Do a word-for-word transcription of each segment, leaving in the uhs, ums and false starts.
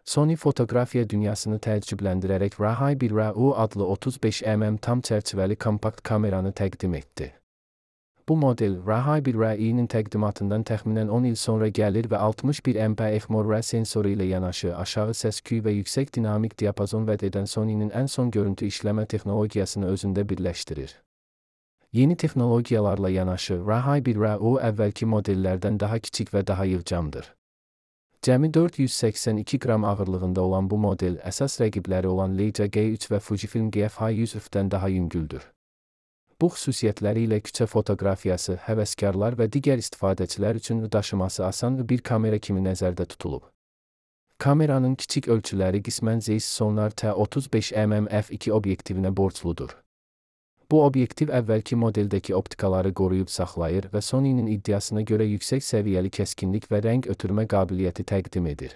Sony fotoqrafiya dünyasını təəccübləndirərək Rahai bir R A U adlı otuz beş millimetre tam çərçivəli kompakt kameranı təqdim etdi. Bu model, Rahai bir R A I'nin təqdimatından təxminən on il sonra gəlir və altmış bir megapiksellik MORE sensoru ilə yanaşı aşağı səs-küy və yüksək dinamik diapazon vəd edən Sony'nin ən son görüntü işləmə texnologiyasını özündə birləşdirir. Yeni texnologiyalarla yanaşı, Rahai bir R A U əvvəlki modellərdən daha kiçik və daha yığcamdır. Cəmi dörd yüz səksən iki qram ağırlığında olan bu model, əsas rəqibləri olan Leica G üç və Fujifilm G F yüz F-dən daha yüngüldür. Bu xüsusiyyətləri ilə küçə fotoqrafiyası, həvəskarlar və digər istifadəçilər üçün daşıması asan bir kamera kimi nəzərdə tutulub. Kameranın kiçik ölçüləri qismən Zeiss Sonnar T otuz beş millimetre f iki obyektivinə borcludur. Bu obyektiv əvvəlki modeldəki optikaları qoruyub saxlayır və Sony'nin iddiasına görə yüksək səviyyəli kəskinlik və rəng ötürmə qabiliyyəti təqdim edir.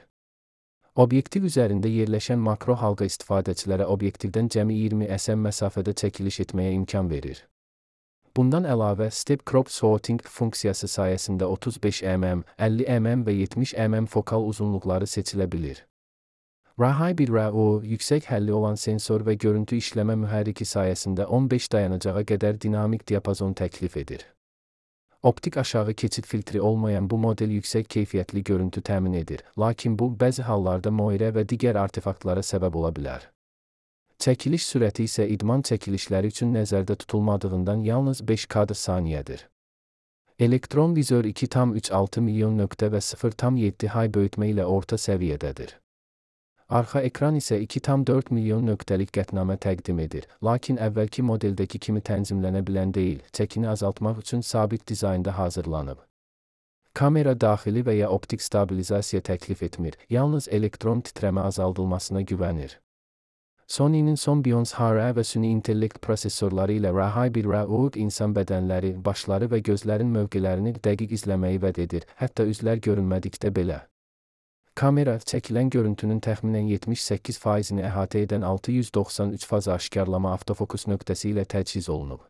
Obyektiv üzərində yerləşən makro halqa istifadəçilərə obyektivdən cəmi iyirmi sm məsafədə çəkiliş etməyə imkan verir. Bundan əlavə, Step Crop Sorting funksiyası sayəsində otuz beş millimetre, əlli millimetre və yetmiş millimetre fokal uzunluqları seçilə bilir. Rahai bir R A U, yüksək həlli olan sensor və görüntü işləmə mühərriki sayəsində on beş dayanacağa qədər dinamik diapazon təklif edir. Optik aşağı keçid filtri olmayan bu model yüksək keyfiyyətli görüntü təmin edir, lakin bu, bəzi hallarda moirə və digər artefaktlara səbəb ola bilər. Çəkiliş sürəti isə idman çəkilişləri üçün nəzərdə tutulmadığından yalnız beş kadr saniyədir. Elektron vizör iki tam üç altı milyon nöqtə və sıfır tam yeddi hay böyütmə ilə orta səviyyədədir. Arxa ekran isə iki tam dörd milyon nöqtəlik qətnamə təqdim edir, lakin əvvəlki modeldəki kimi tənzimlənə bilən deyil, çəkini azaltmaq üçün sabit dizaynda hazırlanıb. Kamera daxili və ya optik stabilizasiya təklif etmir, yalnız elektron titrəmə azaldılmasına güvənir. Sony'nin son Beyonce H R və süni intellekt prosesorları ilə Rahai bir R A U insan bədənləri, başları və gözlərin mövqelərini dəqiq izləməyi vəd edir, hətta üzlər görünmədikdə belə. Kamera, çəkilən görüntünün təxminən yetmiş səkkiz faizini əhatə edən altı yüz doxsan üç faza aşkarlama avtofokus nöqtəsi ilə təchiz olunub.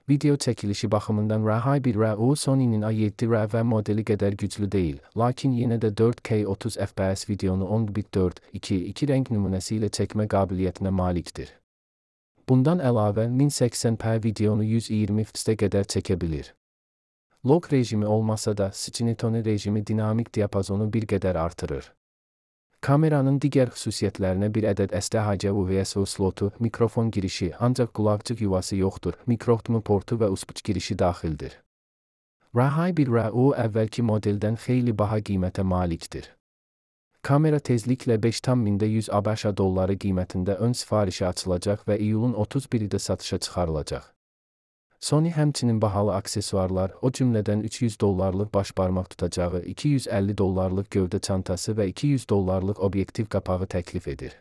Video çəkilişi baxımından Rahai bir R A U Sony'nin A yeddi R V modeli qədər güclü deyil, lakin yenə də dörd K otuz F P S videonu on bit dörd iki iki rəng nümunəsi ilə çəkmə qabiliyyətinə malikdir. Bundan əlavə, min səksən p videonu yüz iyirmi F P S-ə qədər çəkə bilir. Lock rejimi olmasa da, Cinetone rejimi dinamik diapazonu bir qədər artırır. Kameranın digər xüsusiyyətlərinə bir ədəd S D H C U S B slotu, mikrofon girişi, ancaq qulaqcıq yuvası yoxdur, mikro H D M I portu və U S B girişi daxildir. Rahai bir R A U əvvəlki modeldən xeyli baha qiymətə malikdir. Kamera tezliklə beş tam mində yüz ABŞ dolları qiymətində ön sifarişə açılacaq və iyulun otuz birində satışa çıxarılacaq. Sony həmçinin bahalı aksesuarlar, o cümlədən üç yüz dollarlıq baş barmaq tutacağı, iki yüz əlli dollarlıq gövdə çantası və iki yüz dollarlıq obyektiv qapağı təklif edir.